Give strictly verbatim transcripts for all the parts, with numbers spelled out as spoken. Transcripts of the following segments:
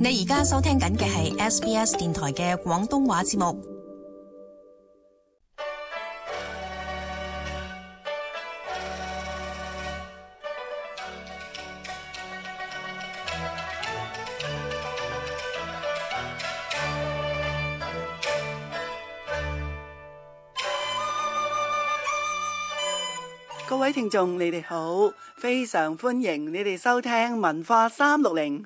你而家收聽緊嘅係 S B S 電台嘅廣東話節目。各位聽眾，你哋好，非常歡迎你哋收聽文化三六零。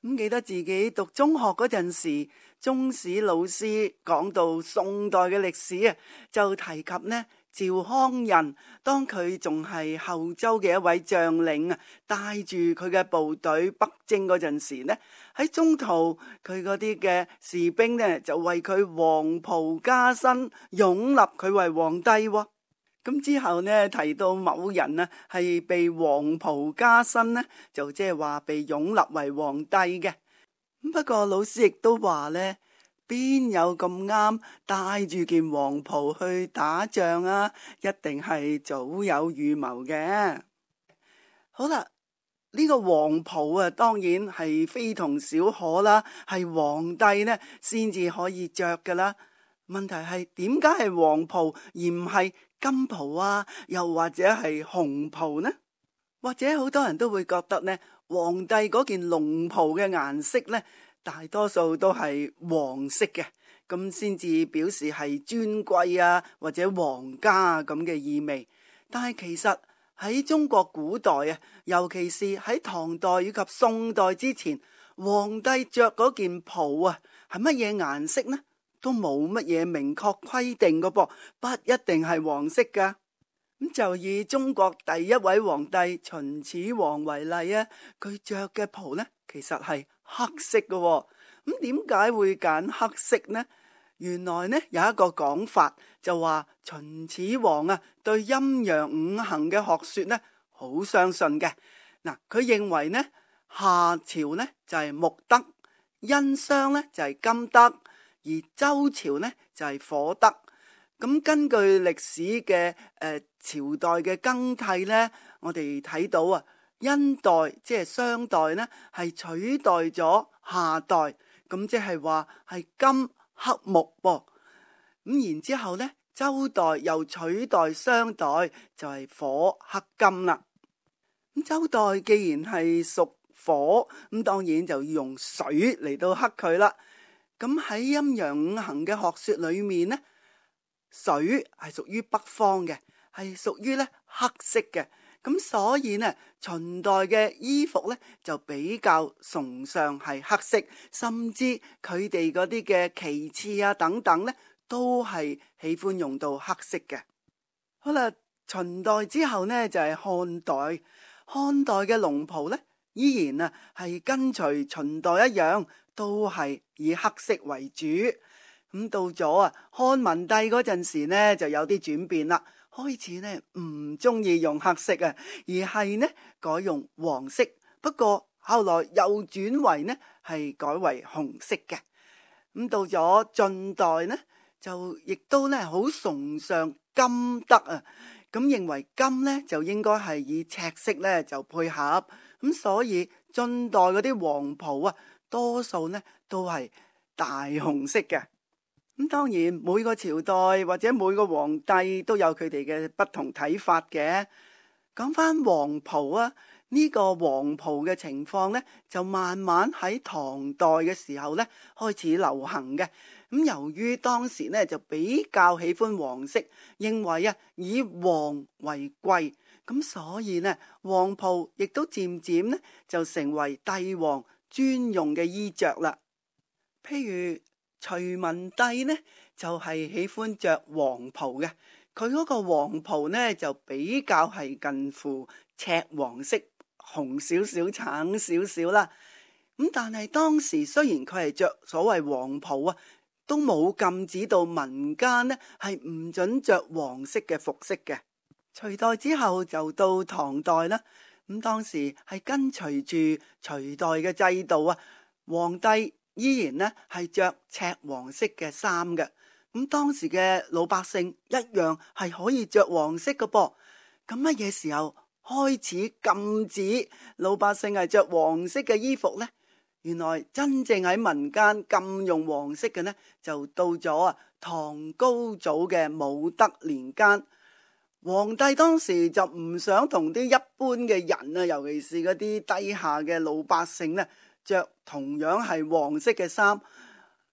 咁記得自己讀中學嗰陣時，中史老師講到宋代嘅歷史啊，就提及呢趙匡胤，當佢仲係後周嘅一位將領啊，帶住佢嘅部隊北征嗰陣時呢，喺中途佢嗰啲嘅士兵呢就為佢黃袍加身，擁立佢為皇帝喎。咁之後呢，提到某人啊係被黃袍加身呢，就即係話被擁立為皇帝嘅。不過老師亦都話呢，邊有咁啱帶住件黃袍去打仗啊？一定係早有預謀嘅。好啦，呢個黃袍啊，當然係非同小可啦，係皇帝呢先至可以着噶啦。問題係點解係黃袍而唔係金袍啊，又或者係紅袍呢？或者好多人都會覺得呢，皇帝嗰件龍袍嘅顏色呢，大多數都係黃色嘅，咁先至表示係尊貴啊，或者皇家咁嘅意味。但係其實喺中國古代啊，尤其是喺唐代以及宋代之前，皇帝着嗰件袍啊，係乜嘢顏色呢？都冇乜嘢明確規定嘅噃，不一定係黃色噶。咁就以中國第一位皇帝秦始皇為例啊，佢着嘅袍呢，其實係黑色嘅。咁點解會揀黑色呢？原來呢有一個講法，就話秦始皇啊對陰陽五行嘅學說呢好相信嘅。嗱，佢認為呢夏朝呢就係木德，殷商呢就係金德，而周朝呢就係火德。咁根據歷史嘅誒、呃、朝代嘅更替呢，我哋睇到啊，殷代即係商代呢係取代咗夏代，咁即係話係金克木噃。咁然之後呢，周代又取代商代，就係、是、火克金啦。咁周代既然係屬火，咁當然就要用水嚟到克佢啦。咁喺陰陽五行嘅學說裏面呢，水係屬於北方嘅，係屬於咧黑色嘅。咁所以呢，秦代嘅衣服呢就比較崇尚係黑色，甚至佢哋嗰啲嘅旗幟啊等等呢都係喜歡用到黑色嘅。好啦，秦代之後呢就係漢代，漢代嘅龍袍呢依然啊係跟隨秦代一樣，都係以黑色為主。咁到咗啊漢文帝嗰陣時呢，就有啲轉變啦，開始呢唔中意用黑色啊，而係呢改用黃色。不過後來又轉為呢係改為紅色嘅。咁到咗晉代呢，就亦都呢好崇尚金德啊，咁認為金呢就應該係以赤色呢就配合。咁所以晉代嗰啲黃袍啊，多數呢都係大紅色嘅。咁當然每個朝代或者每個皇帝都有佢哋嘅不同睇法嘅。講翻黃袍啊，呢個黃袍嘅情況呢，就慢慢喺唐代嘅時候呢開始流行嘅。咁由於當時呢就比較喜歡黃色，認為啊以黃為貴，咁所以呢黃袍亦都漸漸呢就成為帝王專用嘅衣着啦。譬如隋文帝呢就係、是、喜歡着黃袍嘅，佢嗰個黃袍呢就比較係近乎赤黃色，紅少少、橙少少啦。咁但係當時雖然佢係着所謂黃袍啊，都冇禁止到民間呢係唔准着黃色嘅服飾嘅。隋代之後就到唐代啦，咁當時係跟隨住隋代嘅制度啊，皇帝依然呢係着赤黃色嘅衫嘅。咁當時嘅老百姓一樣係可以着黃色嘅噃。咁乜嘢時候開始禁止老百姓係着黃色嘅衣服呢？原來真正喺民間禁用黃色嘅呢，就到咗啊唐高祖嘅武德年間。皇帝當時就唔想同啲一般嘅人啊，尤其是嗰啲低下嘅老百姓呢，着同樣係黃色嘅衫。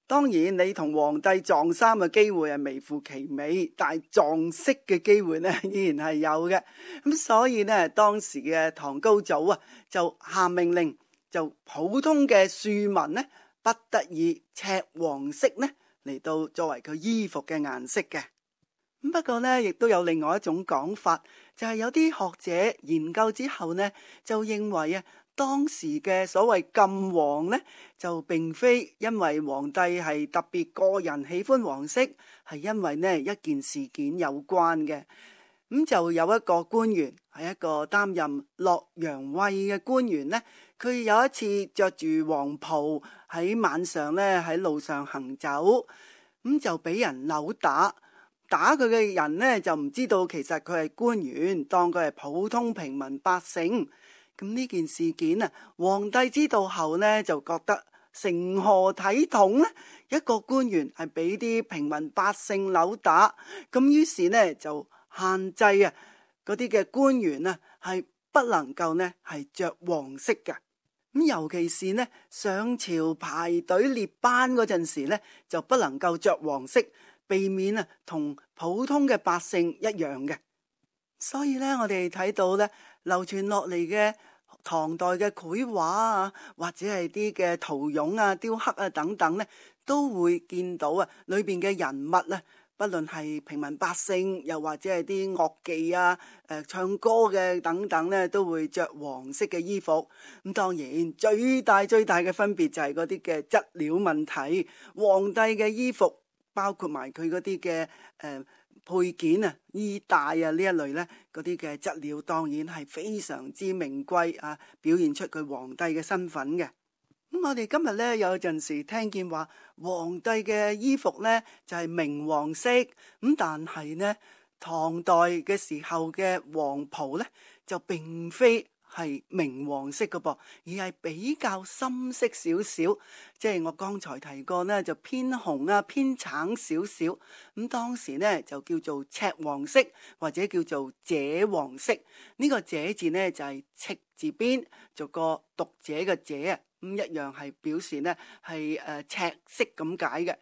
當然你同皇帝撞衫嘅機會係微乎其微，但係撞色嘅機會呢依然係有嘅。咁所以呢，當時嘅唐高祖啊就下命令，就普通嘅庶民呢不得以赤黃色呢嚟到作為佢衣服嘅顏色嘅。不過呢，亦都有另外一種講法，就係有啲學者研究之後呢，就認為啊，當時嘅所謂禁黃呢，就並非因為皇帝係特別個人喜歡黃色，係因為呢一件事件有關嘅。咁就有一個官員，係一個擔任洛陽尉嘅官員呢，佢有一次着住黃袍喺晚上呢喺路上行走，咁就俾人扭打。打佢嘅人呢，就唔知道其實佢係官員，當佢係普通平民百姓。咁呢件事件啊，皇帝知道後呢，就覺得成何體統呢？一個官員係俾啲平民百姓扭打，咁於是呢就限制啊嗰啲嘅官員啊係不能夠呢係着黃色嘅。咁尤其是呢上朝排隊列班嗰陣時呢，就不能夠着黃色。避免啊同普通嘅百姓一樣嘅。所以咧我哋睇到咧流傳落嚟嘅唐代嘅繪畫啊，或者係啲嘅陶俑啊、雕刻啊等等咧，都會見到啊裏邊嘅人物啊，不論係平民百姓，又或者係啲樂伎啊、誒、呃、唱歌嘅等等咧，都會着黃色嘅衣服。咁當然最大最大嘅分別就係嗰啲嘅質料問題。皇帝嘅衣服包括埋佢嗰啲嘅誒配件啊、衣帶啊呢一類呢，嗰啲嘅質料當然係非常之名貴啊，表現出佢皇帝嘅身份嘅。咁我哋今日呢，有陣時聽見話皇帝嘅衣服呢就係明黃色，咁但係呢唐代嘅時候嘅黃袍呢就並非係明黃色嘅噃，而係比較深色少少，即係我剛才提過呢，就偏紅啊、偏橙少少。咁當時呢就叫做赤黃色，或者叫做赭黃色。呢、這個赭字呢就係、是、赤字邊做個讀者嘅者啊，咁一樣係表示呢係誒赤色咁解嘅。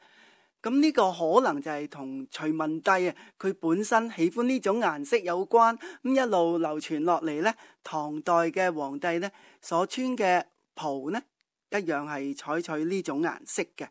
咁呢個可能就係同隋文帝啊，佢本身喜歡呢種顏色有關，咁一路流傳落嚟呢，唐代嘅皇帝呢所穿嘅袍呢，一樣係採取呢種顏色嘅。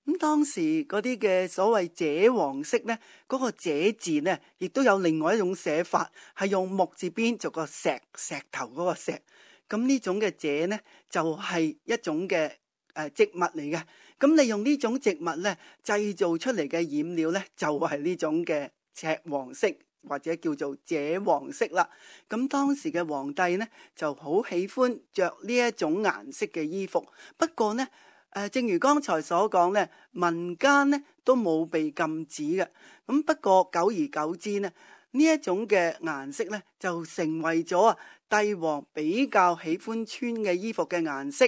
咁當時嗰啲嘅所謂赭黃色呢，嗰、嗰個赭字呢，亦都有另外一種寫法，係用木字邊做個石石頭嗰個石。咁呢種嘅赭呢，就係、是、一種嘅誒植物嚟嘅。咁利用呢種植物咧製造出嚟嘅染料咧，就係呢種嘅赤黃色或者叫做赭黃色啦。咁當時嘅皇帝呢就好喜歡着呢一種顏色嘅衣服。不過呢，誒正如剛才所講咧，民間呢都冇被禁止嘅。咁不過久而久之呢，呢一種嘅顏色咧就成為咗啊帝王比較喜歡穿嘅衣服嘅顏色。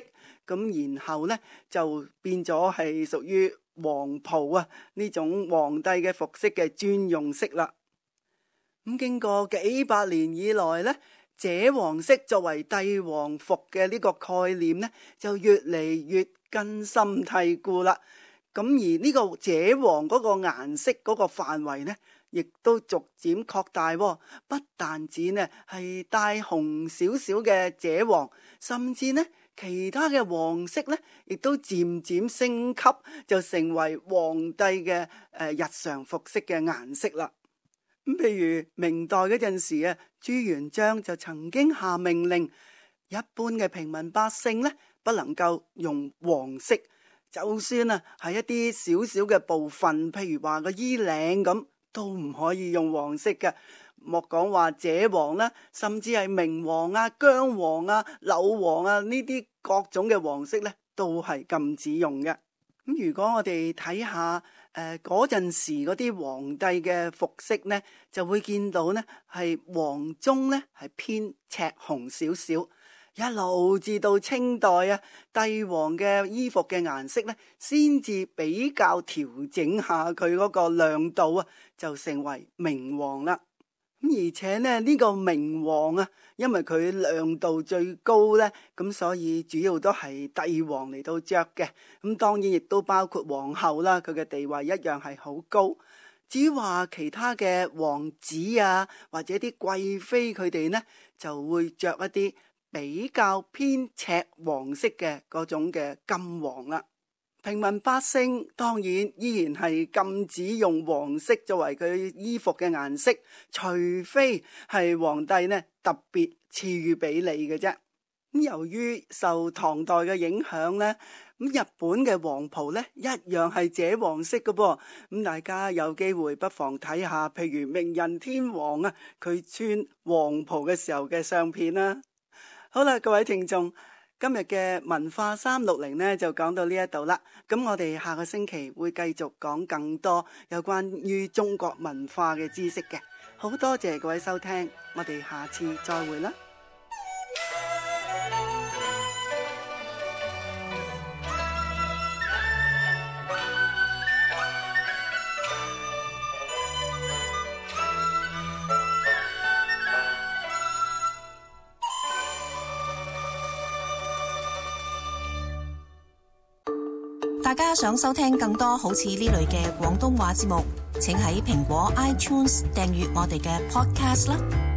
咁然後呢，就變咗係屬於黃袍啊呢種皇帝嘅服飾嘅專用色啦。咁經過幾百年以來呢，赭黃色作為帝王服嘅呢個概念呢，就越嚟越根深蒂固啦。咁而呢個赭黃嗰個顏色嗰個範圍呢，亦都逐漸擴大，不但止呢係帶紅少少嘅赭黃，甚至呢其他嘅黃色呢，亦都漸漸升級，就成為皇帝嘅誒日常服飾嘅顏色啦。咁譬如明代嗰陣時啊，朱元璋就曾經下命令，一般嘅平民百姓呢，不能夠用黃色，就算啊係一啲少少嘅部分，譬如話個衣領咁，都唔可以用黃色嘅。莫講話赭黃啦，甚至係明黃啊、薑黃啊、柳黃啊呢啲各種嘅黃色呢，都係禁止用嘅。咁如果我哋睇下誒嗰陣時嗰啲皇帝嘅服飾呢，就會見到呢係黃中呢係偏赤紅少少，一路至到清代啊，帝王嘅衣服嘅顏色呢，先至比較調整下佢嗰個亮度啊，就成為明黃啦。而且呢，呢個明黃啊，因為佢亮度最高呢，咁所以主要都係帝王嚟到着嘅。咁當然亦都包括皇后啦，佢嘅地位一樣係好高。至於話其他嘅王子啊，或者啲貴妃佢哋呢，就會着一啲比較偏赤黃色嘅嗰種嘅金黃啦。平民百姓當然依然係禁止用黃色作為佢衣服嘅顏色，除非係皇帝呢特別賜予俾你嘅啫。咁由於受唐代嘅影響呢，咁日本嘅黃袍呢一樣係赭黃色嘅噃。咁大家有機會不妨睇下，譬如明仁天皇啊，佢穿黃袍嘅時候嘅相片啦。好啦，各位聽眾，今日嘅文化三六零呢就講到呢一度啦。咁我哋下個星期會繼續講更多有關於中國文化嘅知識嘅。好多謝各位收聽，我哋下次再會啦。大家想收聽更多好似呢類嘅廣東話節目，請喺蘋果 iTunes 訂閱我哋嘅 Podcast 啦。